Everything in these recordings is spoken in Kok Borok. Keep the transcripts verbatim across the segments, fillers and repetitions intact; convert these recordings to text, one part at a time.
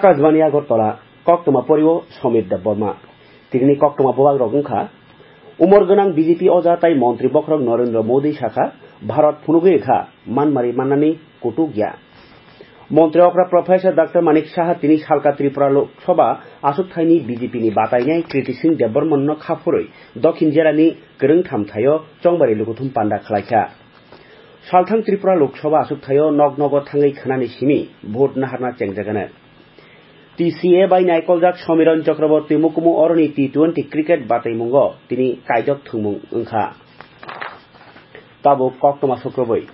Akashbani Agartala, koktwma porio Somir Debbarma. Tinini koktwma bubagrok wngkha, umor gwnang B J P oja tai montri bokhorok Narendra Modi sakha, Bharat phunugwi rwkha, manmari mannani kutuk ya. Montri okra Professor Doctor Manik Saha tini salka Tripura Lok Sabha achukthaini B J P ni batainai Kriti Singh Debbarman no khaphurwi Dokhin Jera ni kwrwngtham thaio chongbari lukuthum panda khlaikha. Salthang Tripura Lok Sabha achukthaio nok nogo thangwi khwnani simi vote naharna chengjagano. T C A bai naikoljak Somiron Chakraborty mukumu oroni T twenty cricket bataimungo tini kaijok thwngmung wngkha. Tabuk koktwma sukrubwi.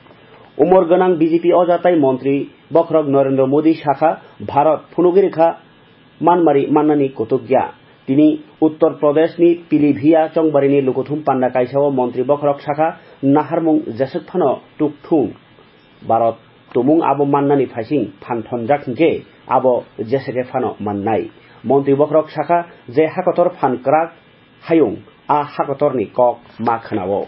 Umor gwnang B J P oja tai montri bokhorok Narendra Modi sakha, Bharat phunugwi rwkha, manmari mannani kutuk ya. Tini Uttar Pradeshni Pilibhiya chongbarini lukuthum panda kaisao montri bokhorok sakha, naharmung jeswk phano tukthung. Bharat tumung abo mannani phaising phan thonjak hinkhe abo jeswk phano mannai. Montri bokhorok sakha, je hakotor phan kwrak hayung a hakotorni kok ma khwnao.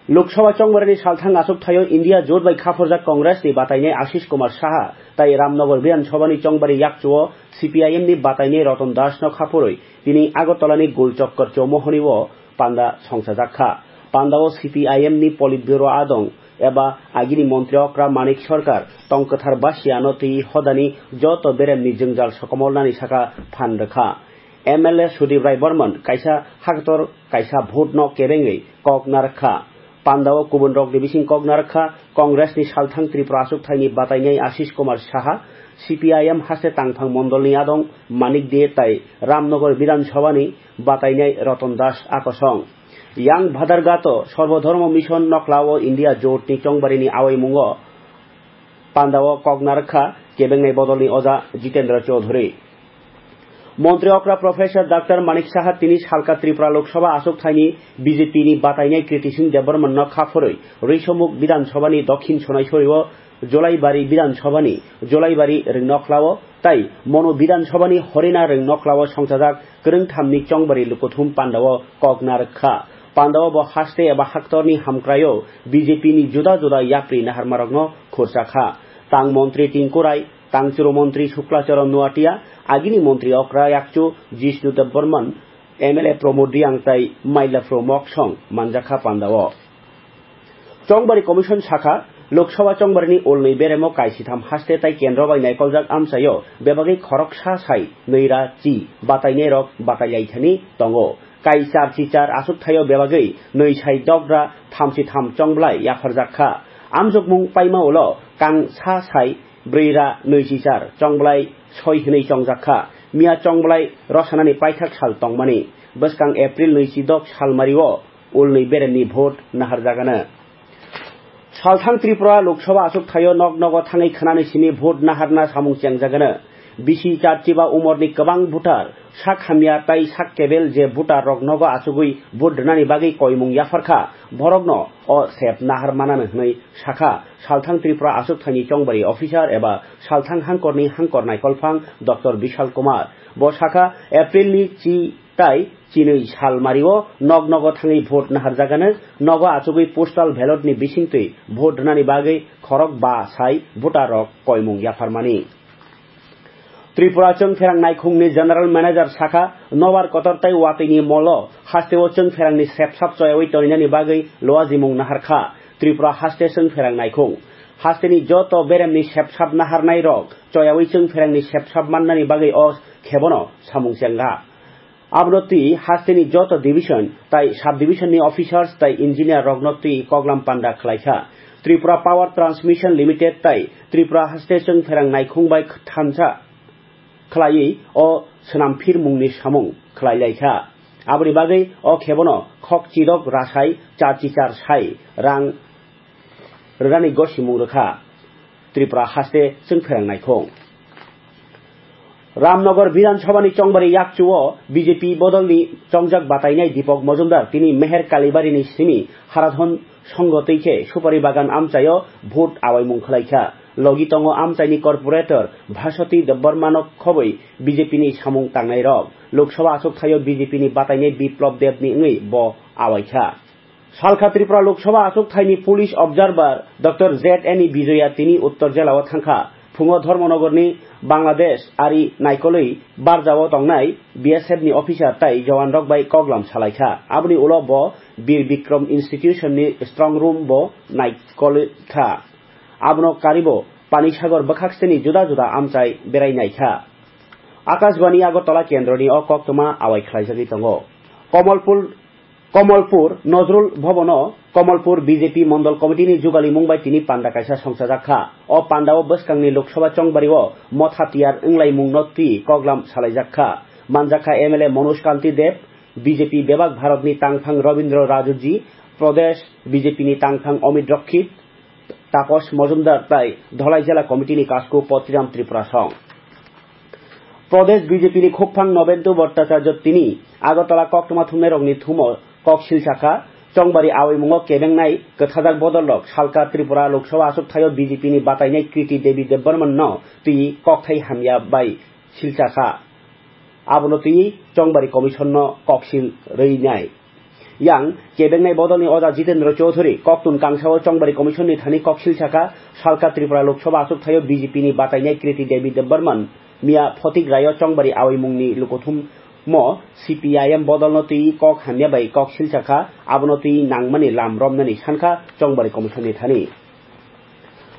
Lok Sabha chongbarani salthang achukthaio India Jot bai khaphurjak Congress ni batainai Ashish Kumar Saha tai Ramnagar Bidhan Sabhani chongbari yakchuo C P I M ni batainai Ratan Das no khaphurwi tini Agartala ni Gul Chakkar Chowmuhani o panda songchajak kha. Pandao C P I M ni Politburo adong eba agini montri okra Manik Sarkar tong kwthar basiano twi hodani joto beremni jwngjal sokomornani saka phan rwkha. M L A Sudip Rai Barman kaisa haktor kaisa vote no kebengwi kok narwkha. Pandao kubun rokni bising kok narwkha, Congress ni salthang Tripura achukthaini batainai Ashish Kumar Saha, C P I M haste tangphang mondolni adong Manik De tai Ramnagar Bidhan Sabhani batainai Ratan Das akosong. Yang Bhadargato Sarbo Dharma Mission noklao India Jot ni chongbarini awaimungo pandao kok narwkha kebengnai bodolni oja Jitendra Chaudhary. Montri okra Professor Doctor Manik Saha tini salka Tripura Lok Sabha achukthaini B J P ni batainai Kriti Singh Debbarman no khaphurwi Risomuk Bidhan Sabhani Dokhin Sonaisori o Jolaibari Bidhan Sabhani Jolaibari Rwngnoklao tai Monu Bidhan Sabhani Horina Rwngnoklao songchajak kwrwngthamni chongbari lukuthum pandao kok narwkha. Pandao bo haste eba haktorni hamkraio B J P ni juda juda yapri naharmarokno khurchakha. Tang montri Tinku Rai, tang churu montri Shukla Charan Noatia, agini montri okra yakchu Jishnu Debbarman, M L A Pramod Reang tai Mailaphru Moksong manjakha pandao. Chongbari Commission sakha, Lok Sabha chongbarini ulni beremo kaisitham haste tai kendro bai naikoljak amchaio bebagwi khoroksa sai nwi ra chi batainairok batailaithani tongo. Kai char chi char achukthaio bebagwi nwi sai dogra thamchi tham chongblai yapharjak kha. Amjokmung paima ulo kang sa sai brwi ra nwi chi char chongblai soi hwnwi chongjak kha. Miya chongblai rosanani paithak sal tongmani. Bwskang April nwi chi dok salmario ulni beremni vote naharjagano. Salthang Tripura Lok Sabha achukthaio nok nogo thangwi khwnani simi vote naharna samung chengjagano. Bisi char chiba umorni kwbang voter, sak hamya tai sak kebel je voter rok nogo achugwi vote rwnani bagwi koimung yapharkha, borokno o sep nahar manano hwnwi sakha Salthang Tripura achukthaini chongbari officer eba Salthang hangkorni hangkor naikolphang Doctor Bishal Kumar. Bo sakha, April ni chi tai chinwi salmario nok nogo thangwi vote naharjagano, nogo achugwi postal ballot ni bisingtwi vote rwnani bagwi khorok ba sai voter rok koimung yapharmani. Tripura Chwngpherang Naikhungni General Manager sakha, nobar kotor tai watwini molo hasteo chwngpherangni sepsap choyawi toninani bagwi luajimung naharkha Tripura haste chwngpherang naikhung. Hasteni joto beremni sepsap naharnai rok choyawi chwngpherangni sepsap mannani bagwi o khebono samung chengha. Abono twi hasteni joto division tai sub division ni officers tai engineer rokno twi koklam panda khlaikha. Tripura Power Transmission Limited tai Tripura haste chwngpherang naikhung bai thansa khlaiwi o swnam phirmungni samung khlailaikha. Aboni bagwi o khebono khok chidok rasai char chi char sai rang rwnani gosimung rwkha Tripura haste chwngpherang naikhung. Ramnagar Bidhan Sabhani chongbari yakchuo B J P bodolni chongjak batainai Deepak Majumdar tini Meher Kalibarini simi Haradhan Songho twi khe Supari Bagan amchaio vote awaimung khlaikha. Logi tongo amchaini corporator Bhaswati Debbarmano khobwi B J P ni samung tangnairok. Lok Sabha achukthaio B J P ni batainai Biplab Debni wngwi bo awaikha. Salkha Tripura Lok Sabha achukthaini police observer Doctor Z N E Bijoya tini Uttor Jelao thangkha. Phungo Dharmanagorni Bangladesh ari naikolwi barjao tongnai B S F ni officer tai jawanrok bai koklam salaikha. Aboni ulo bo Bir Bikram Institution ni strong room bo naikolikha. Abono karibo Panisagar bwkhaksteni juda juda amchai berai naikha. Akashbani Agartala kendroni o koktwma awai khlaijagwi tongo. Komolpur Komolpur Nojrul Bhobono Komolpur B J P Mondol Committee ni jugalimung bai tini panda kaisa songchajak kha. O pandao bwskangni Lok Sabha chongbario motha tiyar wnglaimungno twi koklam salaijak kha. Manjak kha M L A Manoj Kanti Deb, B J P bebak Bharatni tangphang Rabindra Rajji, Pradesh B J P ni tangphang Amit Rakshit, Taposh Majumdar tai Dholai Jela Committee ni kasku Potiram Tripura song. Pradesh B J P ni khukphang Nobendu Bhattacharya tini Agartala koktwma thumnairokni thumo kok silsa kha. Chongbari awaimungo kebengnai kwthajak bodolrok salka Tripura Lok Sabha achuk thaio B J P ni batainai Kriti Devi Debbarman no twi kokthai hamya bai silsa kha. Abono twi Chongbari Commission no koksil rwinai. Yang kebengnai bodolni oja Jitendra Chowdhury koktun kangsao Chongbari Commission ni thani koksil saka, salka Tripura Lok Sabha achuk thaio B J P ni batainai Kriti Devi Debbarman miya photik raio Chongbari awaimungni lukuthumo C P I M bodolno twi kok hamya bai koksil saka, abono twi nangmani lam romnani sankha Chongbari Commission ni thani.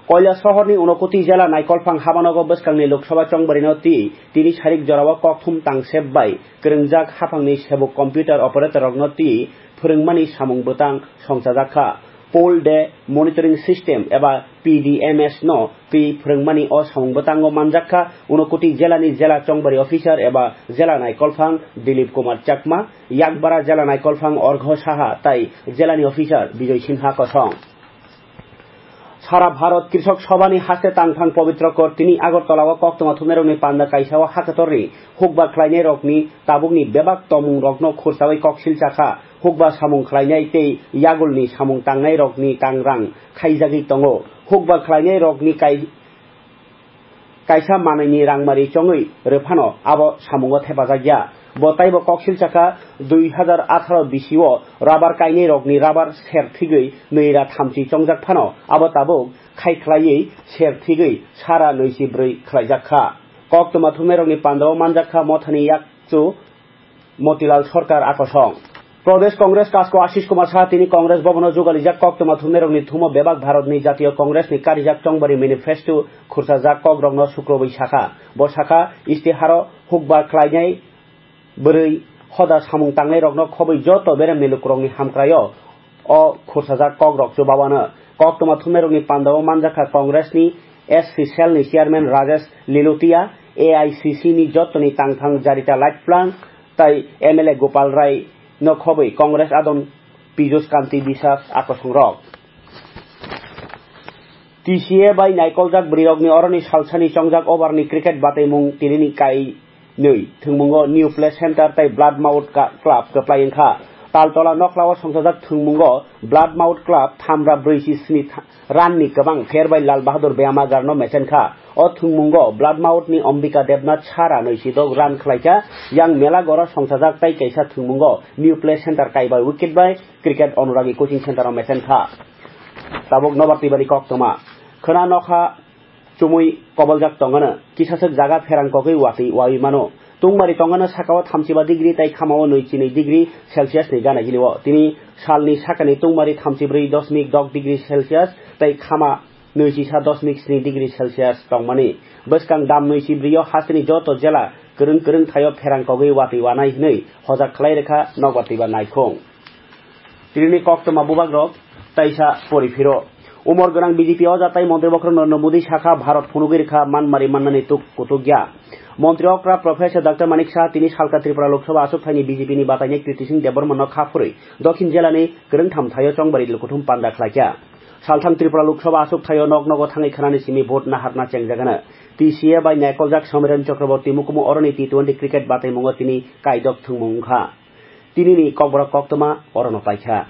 Koilasohorni Unakoti jela Naikolphang habanogo bwskangni Lok Sabha chongbarino twi tini sarik jorao kokthum tangsep bai kwrwngjak haphangni sebuk computer operator rokno twi phwrwngmani samung bwtang songchajak kha. Poll Day Monitoring System eba P D M S no twi phwrwngmani o samung bwtango manjak kha Unakoti jelani jela chongbari officer eba jela Naikolphang Dilip Kumar Chakma, Yakbara jela Naikolphang Orgho Saha tai jelani officer Bijoy Sinha kosong. Sara Bharat Krishok Sabhani haste tangphang Pabitra Kor tini Agartala o koktwma thumnairokni panda kaisa o hakatorni hukba khlainairokni tabukni bebak tongmungrokno khursawi koksil chakha, hukba samung khlainai tei yagulni samung tangnairokni kangrang khaijagwi tongo. Hukba khlainairokni kai-, kaisa manwini rangmari chongwi rwphano abo samungo thepajak ya. Bo taibo koksil chakha, dui hazar atharo bisio rabar kainairokni rabar ser thigwi nwi ra thamchi chongjak phano abo tabuk khai khlaiwi ser thigwi sara nwichi bwrwi khlaijak kha. Koktwma thumnairokni pandao manjak kha mothani yakchu Motilal Sarkar akosong. Pradesh Congress kasko Ashish Kumar Saha tini Congress Bhavan o jugalijak koktwma thumnairokni thumo bebak Bharatni Jatiyo Congress ni karijak chongbari manifesto khursajak kokrokno sukrubwi sakha. Bo sakha, istiharo hukba khlainai bwrwi hoda samung tangnairokno khobwi joto beremni lukurokni hamkraio o khursajak kokrok chubawano. Koktwma thumnairokni pandao manjakha Congress ni S C cell ni chairman Rajesh Lilotia, A I C C ni jotoni tangthang Jarita Laitplang tai M L A Gopal Rai no khobwi Congress adon Piyush Kanti Biswas akosongrok. T C A bai naikoljak bwrwirokni oroni salsani chongjak overni cricket bataimung tinini kai nwi thwngmungo New Play Center tei Blood Mouth Ka-, Club kwplai wngkha. Taltola nokhlao songchajak thwngmungo Blood Mouth Club thamra brwi si sni tha-, run ni kwbang pher bai Lal Bahadur Beyamagar no mechen kha. O thwngmungo Blood Mouth ni Ambika Debnath sara nwi si dok run khlaikha. Yang Mela goro songchajak tei kaisa thwngmungo New Play Center kaibai wicket bai Cricket Anuragi Coaching Center o mechen kha. Tabuk nobar twibani koktwma. Khwna nokha chumui koboljak tongano, kisaswk jaga pherang kogwi watwi wawi mano. Tungmari tongano sakao thamchiba degree tei khamao nwi chinwi degree Celsius ni gana gilio. Tini salni sakani tungmari thamchibrwi dosmik dok degree Celsius tei khama nwi chisa dosmik sni degree Celsius tongmani. Bwskang dam nwi chibrio hasteni joto jela kwrwng kwrwng thaio pherang kogwi watwi wanai hwnwi hojak khlai rwkha nokbar twiba naikhung. Tinini koktwma bubagrok taisa pori phiro. Umor gwnang B J P oja tai montri bokhorok Narendra Modi sakha, Bharat phunugwi rwkha manmari mannani tuk kutuk ya. Montri okra Professor Doctor Manik Saha tini salka Tripura Lok Sabha achuk thaini B J P ni batainai Kriti Singh Debbarma no kha phurwi Dokhin jelani kwrwngtham thaio chongbari lukuthum panda khlaikha. Salthang Tripura Lok Sabha achuk thaio nok nogo thangwi khwnani simi vote naharna chengjagano. T C A bai naikoljak Somiron Chakraborty mukumu oroni T twenty cricket bataimungo tini kaidok thwngmung wngkha. Tinini kokborok koktwma orono paikha.